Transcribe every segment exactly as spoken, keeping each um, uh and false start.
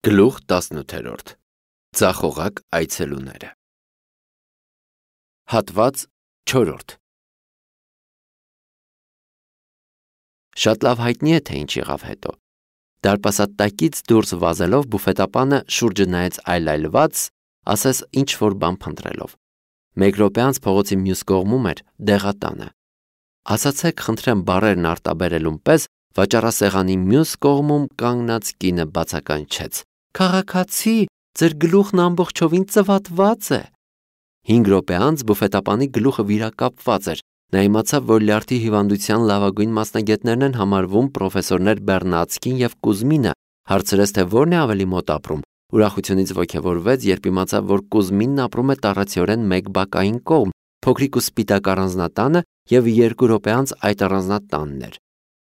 Գլուխ տասնութերորդ Ձախողակ այցելուները Հատված չորրորդ Շատ լավ հայտնի է, թե ինչ եղավ հետո։ Դարպասատակից դուրս վազելով բուֆետապանը շուրջը նայեց այլայլված, ասես ինչ-որ բան փնտրելով։ Մեկ րոպե անց փողոցի մյուս կողմում էր դեղատանը։ Ասացեք, խնդրեմ, բառերն արտաբերելուն պես վաճառասեղանի մյուս կողմում կանգնած կինը բացականչեց. «Քաղաքացի, ձեր գլուխն ամբողջովին ծվատված է»։ Հինգ րոպե անց բուֆետապանի գլուխը վիրակապված էր։ Նա իմացավ, որ լյարդի հիվանդության լավագույն մասնագետներն են համարվում պրոֆեսորներ Բեռնացկին և Կուզմինը, հարցրեց, թե որն է ավելի մոտ ապրում։ Ուրախությունից ոգևորվեց, երբ իմացավ, որ Կուզմինն ապրում է տառացիորեն մեկ բակային կողմ, փոքրիկ ու սպիտակ առանձնատանը, և երկու րոպե անց այդ առանձնատանն էր։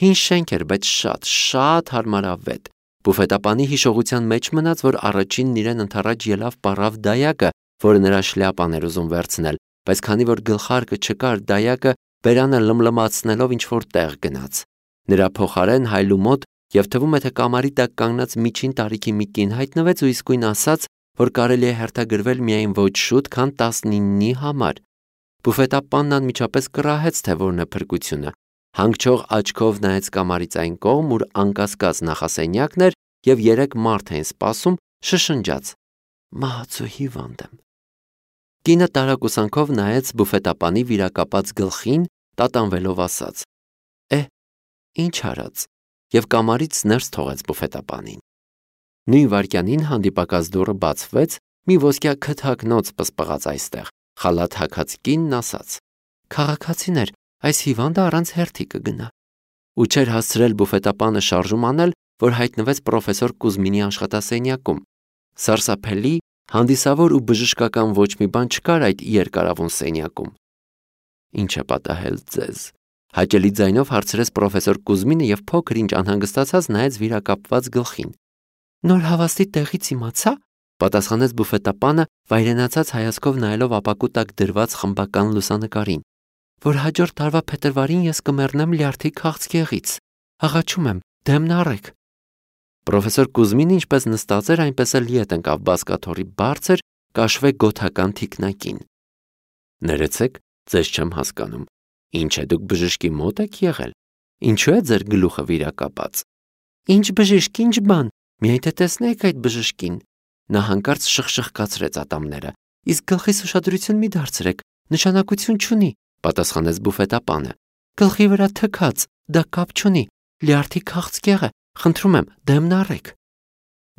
Հին շենք էր, բայց շատ, շատ հարմարավետ։ Բուֆետապանի հիշողության մեջ մնաց, որ առաջինն իրեն ընդառաջ ելավ պառավ դայակը, որը նրա շլյապան էր ուզում վերցնել, բայց քանի որ գլխարկը չկար, դայակը բերանը լմլմացնելով ինչ-որ տեղ գնաց։ Նրա փոխարեն հայլու մոտ և թվում է, թե կամարի տակ կանգնած միջին տարիքի մի կին հայտնվեց ու իսկույն ասաց, որ կարելի է հերթագրվել միայն ոչ շուտ, քան տասնիննի համար։ Բուֆետապանն անմիջապես կռահեց, թե որն է փրկությունը։ Հանգչող աչքով նայեց կամարից այն կողմ, ուր անկասկած նախասենյակն էր, և երեք մարդ էին սպասում, շշնջաց. «Մահացու հիվանդ եմ»։ Կինը տարակուսանքով նայեց բուֆետապանի վիրակապած գլխին, տատանվելով ասաց. «Է, ինչ արած», և կամարից ներս թողեց բուֆետապանին։ Նույն վայրկյանին հանդիպակաց դուռը բացվեց, մի ոսկյա քթակնոց պսպղաց այստեղ։ Խալաթ հագած կինն ասաց. «Քաղաքացիներ, այս հիվանդը առանց հերթի կգնա»։ Ու չէր հասցրել բուֆետապանը շարժում անել, որ հայտնվեց պրոֆեսոր Կուզմինի աշխատասենյակում։ Սարսափելի, հանդիսավոր ու բժշկական ոչ մի բան չկար այդ երկարավուն սենյակում։ «Ինչ է պատահել ձեզ»։ Հաճելի ձայնով հարցրեց պրոֆեսոր Կուզմինը և փոքր-ինչ անհանգստացած նայեց վիրակապված գլխին։ «Նոր հավաստի տեղից իմացա», պատասխանեց բուֆետապանը, վայրենացած հայացքով նայելով ապակու տակ դրված խմբական լուսանկարին, «որ հաջորդ տարվա փետրվարին ես կմեռնեմ լյարդի քաղցկեղից։ Աղաչում եմ, դեմն առեք»։ Պրոֆեսոր Կուզմինը ինչպես նստած էր, այնպես էլ ետ ընկավ բազկաթոռի բարձր, կաշվե գոթական թիկնակին։ «Ներեցեք, ձեզ չեմ հասկանում։ Ինչ է, դուք բժշկի մոտ եք եղել։ Ինչու է ձեր գլուխը վիրակապած»։ «Ինչ բժիշկ, ինչ բան, միայն թե տեսնեիք այդ բժշկին»։ Նա հանկարծ շխշխկացրեց ատամները։ «Իսկ գլխիս ուշադրություն մի դարձրեք, նշանակություն չունի», պատասխանեց բուֆետապանը։ «Գլխի վրա թքած, դա կապ չունի, լյարդի քաղցկեղ է, խնդրում եմ, դեմն առեք»։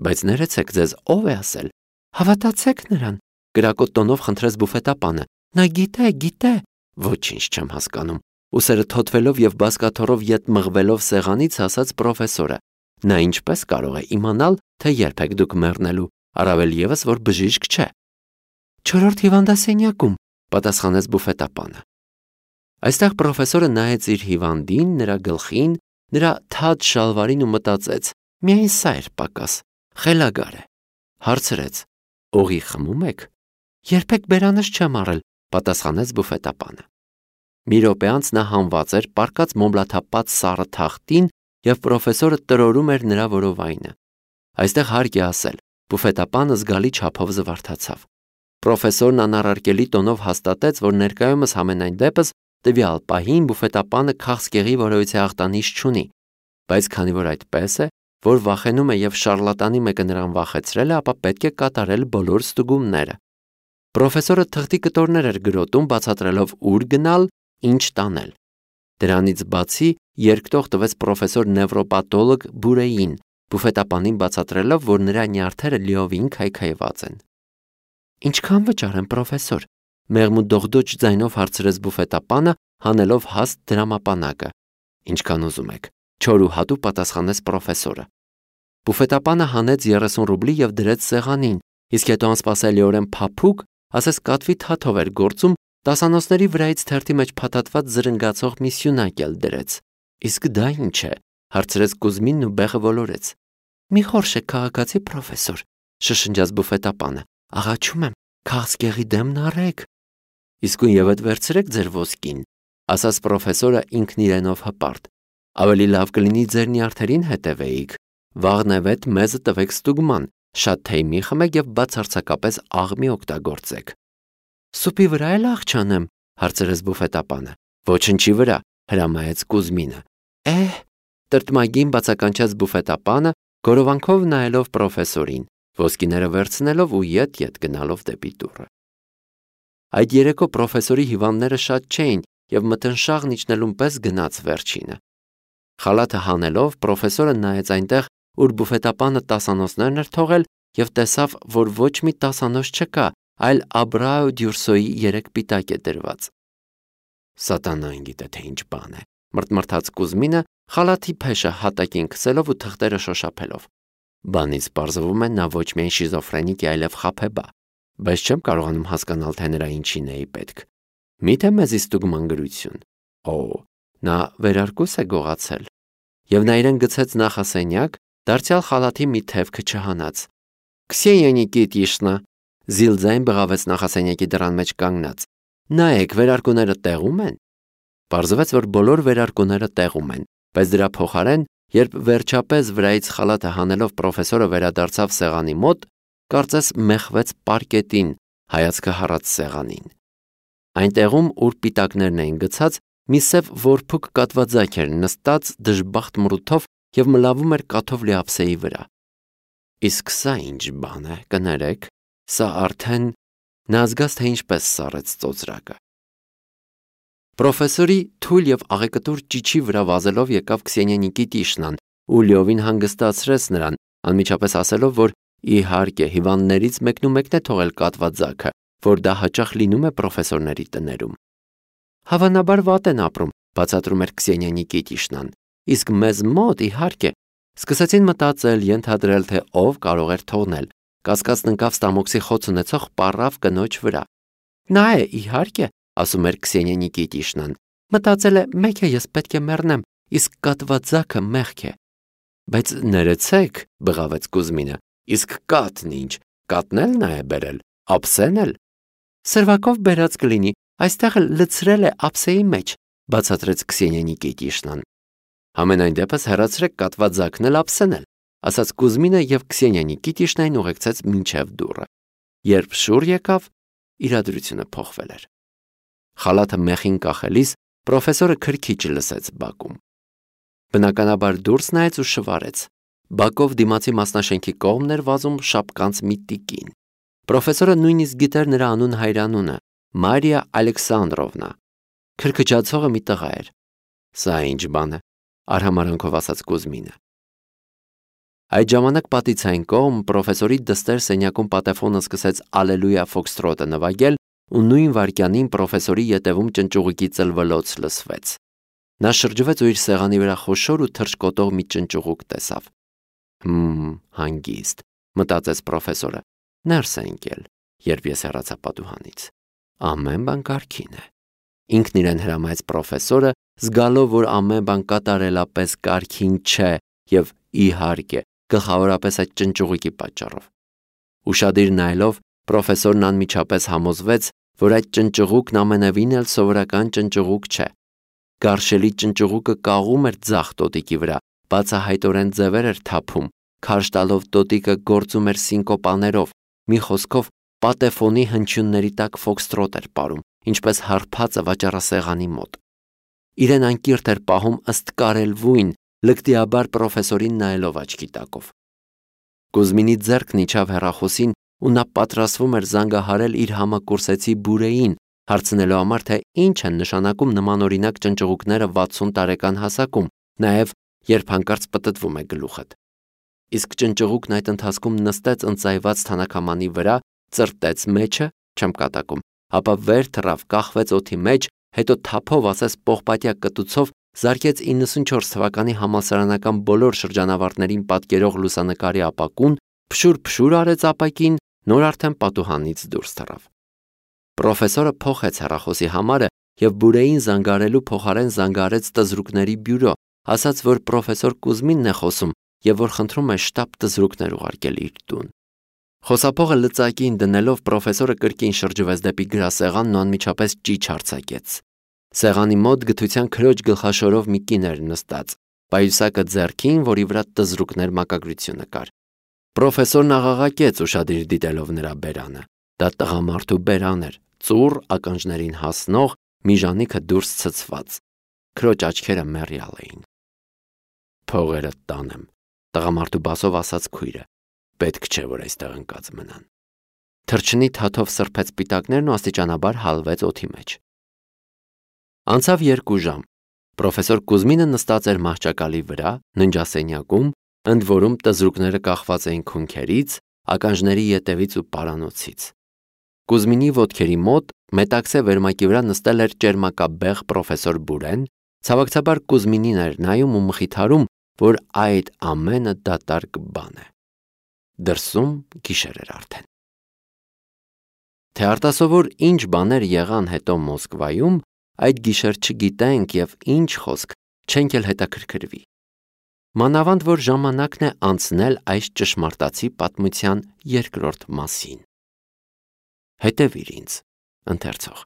«Բայց ներեցեք, ձեզ ով է ասել»։ «Հավատացեք նրան», կրակոտ տոնով խնդրեց բուֆետապանը։ «Նա գիտե, գիտե»։ «Ոչինչ չեմ հասկանում», ուսերը թոթվելով և բազկաթոռով ետ մղվելով սեղանից ասաց պրոֆեսորը։ «Նա ինչպես կարող է իմանալ, թե երբ եք դուք մեռնելու, առավել ևս, որ բժիշկ չէ»։ «Չորրորդ հիվանդասենյակում», պատասխանեց բուֆետապանը։ Այստեղ պրոֆեսորը նայեց իր հիվանդին, նրա գլխին, նրա թաց շալվարին ու մտածեց. միայն սա էր պակաս, խելագար է։ Հարցրեց. «Օղի խմում եք»։ «Երբեք բերանս չեմ առել», պատասխանեց բուֆետապանը։ Մի րոպե անց նա հանված էր պառկած մոմլաթափած սառը թախտին, և պրոֆեսորը տրորում էր նրա որովայնը։ Այստեղ հարկ է ասել, բուֆետապանը զգալի չափով զվարթացավ։ Պրոֆեսորն անառարկելի տոնով հաստատեց, որ ներկայումս համենայն դեպս տվյալ պահին բուֆետապանը քաղցկեղի որևիցե ախտանիշ չունի, բայց քանի որ այդպես է, որ վախենում է և շառլատանի մեկը նրան վախեցրել է, ապա պետք է կատարել բոլոր ստուգումները։ Պրոֆեսորը թղթի կտորներ էր գրոտում, բացատրելով ուր գնալ, ինչ տանել։ Դրանից բացի երկտող տվեց պրոֆեսոր նևրոպաթոլոգ Բուրեին, բուֆետապանին բացատրելով, որ նրա նյարդերը լիովին քայքայված են։ «Ինչքան վճարեմ, պրոֆեսոր»։ Մեղմ ու դողդոջ ձայնով հարցրեց բուֆետապանը, հանելով հաստ դրամապանակը։ «Ինչքան ուզում եք», չոր ու հատուկ պատասխանեց պրոֆեսորը։ Բուֆետապանը հանեց երեսուն ռուբլի և դրեց սեղանին, իսկ հետո անսպասելիորեն փափուկ, ասես կատվի թաթով էր գործում, դասանոցների վրայից թերթի մեջ փաթաթված զրնգացող մի սյունակ էլ դրեց։ «Իսկ դա ինչ է», հարցրեց Կուզմինն ու բեղը ոլորեց։ «Մի խորշեք, քաղաքացի պրոֆեսոր», շշնջաց բուֆետապանը։ «Աղաչում եմ, քաղցկեղի դեմն առեք»։ «Իսկույն ևեթ վերցրեք ձեր ոսկին», ասաց պրոֆեսորը ինքն իրենով հպարտ։ «Ավելի լավ կլինի ձեր նյարդերին հետևեիք։ Վաղն է վետ մեզը տվեք ստուգման, շատ թեյ մի խմեք և բացարձակապես աղմի օգտագործեք։ Սուպի վրա էլ աղ չանեմ, հարցրեց բուֆետապանը։ Ոչնչի վրա, հրամայեց Կուզմինը։ Էհ, տրտմագին բացականչեց բուֆետապանը, գորովանքով նայելով պրոֆեսորին, ոսկիները վերցնելով ու ետ-ետ գնալով դեպի դուռը։ Այդ երեկո պրոֆեսորի հիվանդները շատ չէին և մթնշաղն իջնելուն պես գնաց վերջինը։ Խալաթը հանելով պրոֆեսորը նայեց այնտեղ, ուր բուֆետապանը տասանոցներն էր թողել և տեսավ, որ ոչ մի տասանոց չկա, այլ Աբրահու Դյուրսոյի երեք պիտակ է դրված։ Սատանան գիտե թե ինչ բան է, մռթմռթաց Կուզմինը, խալաթի փեշը հատակին քսելով ու թղթերը շոշափելով։ Բանից պարզվում է նա ոչ միայն շիզոֆրենիկ է, այլև խաբեբա, բայց չեմ կարողանում հասկանալ, թե նրա ինչին էի պետք։ Միթե մեզի ստուգման գրություն։ Օ, նա վերարկուս է գողացել։ Եվ նա իրեն գցեց նախասենյակ, դարձյալ խալաթի մի թևքը չհանած։ Քսենիա Նիկիտիշնա, զիլ ձայն բղավեց նախասենյակի դռան մեջ կանգնած։ Նայեք, վերարկուները տեղում են։ Պարզվեց, որ բոլոր վերարկուները տեղում են, բայց դրա փոխարեն, երբ վերջապես վրայից խալաթը հանելով պրոֆեսորը վերադարձավ սեղանի մոտ, կարծես մեխվեց պարկետին, հայացքը հառած սեղանին։ Այնտեղում, ուր պիտակներն էին գցած, մի սև որփուկ կատվածակ էր նստած դժբախտ մռութով և մլավում էր կաթով լի ափսեի վրա։ Իսկ սա ինչ բան է, կներեք, սա արդեն նա զգաց, թե ինչպես սառեց ծոծրակը։ Պրոֆեսորի թույլ և աղեկտուր ճիչի վրա վազելով եկավ Քսենիա Նիկիտիշնան ու լիովին հանգստացրեց նրան, անմիջապես ասելով, որ իհարկե հիվանդներից մեկնումեկն է թողել կատվածակը, որ դա հաճախ լինում է պրոֆեսորների տներում։ Հավանաբար վատ են ապրում, բացատրում էր Քսենիա Նիկիտիշնան, իսկ մեզ մոտ, իհարկե, սկսեցին մտածել, ենթադրել, թե ով կարող էր թողնել, կասկածն ընկավ ստամոքսի խոց ունեցող պառավ կնոջ վրա։ Նա է, իհարկե, ասում էր Քսենիա Նիկիտիշնան, մտածել է, մեկ է ես պետք է մեռնեմ, իսկ կատվածակը մեղք է։ Բայց ներեցեք, բղավեց Կուզմինը, իսկ կատն ինչ, կատն էլ նա է բերել, ափսեն էլ։ Սրվակով բերած կլինի, այստեղ էլ լցրել է ափսեի մեջ, բացատրեց Քսենիա Նիկիտիշնան։ Համենայն դեպս հեռացրեք կատվածակն էլ ափսեն էլ, ասաց Կուզմինը և Քսենիա Նիկիտիշնային ուղեկցեց մինչև դուռը։ Երբ շուռ եկավ, իրադրությունը փոխվել էր։ Խալաթը մեխին կախելիս պրոֆեսորը քրքիջ լսեց բակում։ Բնականաբար դուրս նայեց ու շվարեց։ Բակով դիմացի մասնաշենքի կողմն էր վազում շապկանց մի տիկին։ Պրոֆեսորը նույնիսկ գիտեր նրա անուն հայրանունը՝ Մարիա Ալեքսանդրովնա։ Քրքջացողը մի տղա էր։ Սա ինչ բան է, արհամարանքով ասաց Կուզմինը։ Այդ ժամանակ պատից այն կողմ պրոֆեսորի դստեր սենյակում պատեֆոնը սկսեց Ալելույա ֆոքստրոտը նվագել ու նույն վայրկյանին պրոֆեսորի ետևում ճնճուղիկի ծլվլոց լսվեց։ Նա շրջվեց ու իր սեղանի վրա խոշոր ու թռչկոտող մի ճնճուղուկ տեսավ։ Հմ, հանգիստ, մտածեց պրոֆեսորը, ներս է ընկել, երբ ես հեռացա պատուհանից։ Ամեն բան կարգին է։ Ինքն իրեն հրամայեց պրոֆեսորը, զգալով, որ ամեն բան կատարելապես կարգին չէ և իհարկե գլխավորապես այդ ճնճուղիկի պատճառով։ Ուշադիր նայելով, պրոֆեսորն անմիջապես համոզվեց, որ այդ ճնճուղուկն ամենևին էլ սովորական ճնճուղուկ չէ։ Գարշելի ճնճուղուկը կաղում էր ձախ տոտիկի վրա, բացահայտորեն ձևեր էր թափում, քարշ տալով տոտիկը գործում էր սինկոպաներով, մի խոսքով պատեֆոնի հնչյունների տակ ֆոքստրոտ էր պարում, ինչպես հարբածը վաճառասեղանի մոտ։ Իրեն անկիրթ էր պահում ըստ կարելվույն, լկտիաբար պրոֆեսորին նայելով աչքի տակով։ Կուզմինի ձեռքն իջավ հեռախոսին ու նա պատրաստվում էր զանգահարել իր համակուրսեցի Բուրեին, հարցնելու համար, թե ինչ են նշանակում նմանօրինակ ճնճղուկները վաթսուն տարեկան հասակում, նաև երբ հանկարծ պտտվում է գլուխդ։ Իսկ ճնճղուկն այդ ընթացքում նստեց ընծայված թանաքամանի վրա, ծրտեց մեջը, չեմ կատակում, ապա վեր թռավ, կախվեց օդի մեջ, հետո թափով, ասես պողպատյա կտուցով, զարկեց իննսունչորս թվականի համալսարանական բոլոր շրջանավարտներին պատկերող լուսանկարի ապակուն, փշուր-փշուր արեց ապակին, նոր արդեն պատուհանից դուրս թռավ։ Պրոֆեսորը փոխեց հեռախոսի համարը և Բուրեին զանգարելու փոխարեն զանգարեց տզրուկների բյուրո, ասաց, որ պրոֆեսոր Կուզմինն է խոսում և որ խնդրում է շտապ տզրուկներ ուղարկել իր տուն։ Խոսափողը լծակին դնելով պրոֆեսորը կրկին շրջվեց դեպի գրասեղանն ու անմիջապես ճիչ արձակեց։ Սեղանի մոտ գթության քրոջ գլխաշորով մի կին էր նստած, պայուսակը ձեռքին, որի վրա տզրուկներ մակագրությունը կար։ Պրոֆեսորն աղաղակեց ուշադիր դիտելով նրա բերանը։ Դա տղամարդու բերան էր, ծուռ ականջներին հասնող, մի ժանիքը դուրս ցցված։ Քրոջ աչքերը մեռյալ էին։ Փողերը տանեմ, տղամարդու բասով ասաց քույրը։ Պետք չէ, որ այստեղ ընկած մնան։ Թրջնի թաթով սրբեց սպիտակներն ու աստիճանաբար հալվեց օդի մեջ։ Անցավ երկու ժամ։ Պրոֆեսոր Կուզմինը նստած էր մահճակալի վրա, ննջասենյակում, ընդ որում տզրուկները կախված էին քունքերից, ականջների ետևից ու պարանոցից։ Կուզմինի ոտքերի մոտ մետաքսե վերմակի վրա նստել էր ճերմակաբեղ պրոֆեսոր Բուրեն, ցավոքցաբար Կուզմինին էր նայում ու մխիթարում, որ այդ ամենը դատարկ բան է։ Դրսում գիշեր էր արդեն։ Թե արտասովոր ինչ բաներ եղան հետո Մոսկվայում, այդ գիշեր չգիտենք և ինչ խոսք չենք էլ հետաքրքրվի։ Մանավանդ որ ժամանակն է անցնել այս ճշմարտացի պատմության երկրորդ մասին։ Հետևիր ինձ, ընթերցող։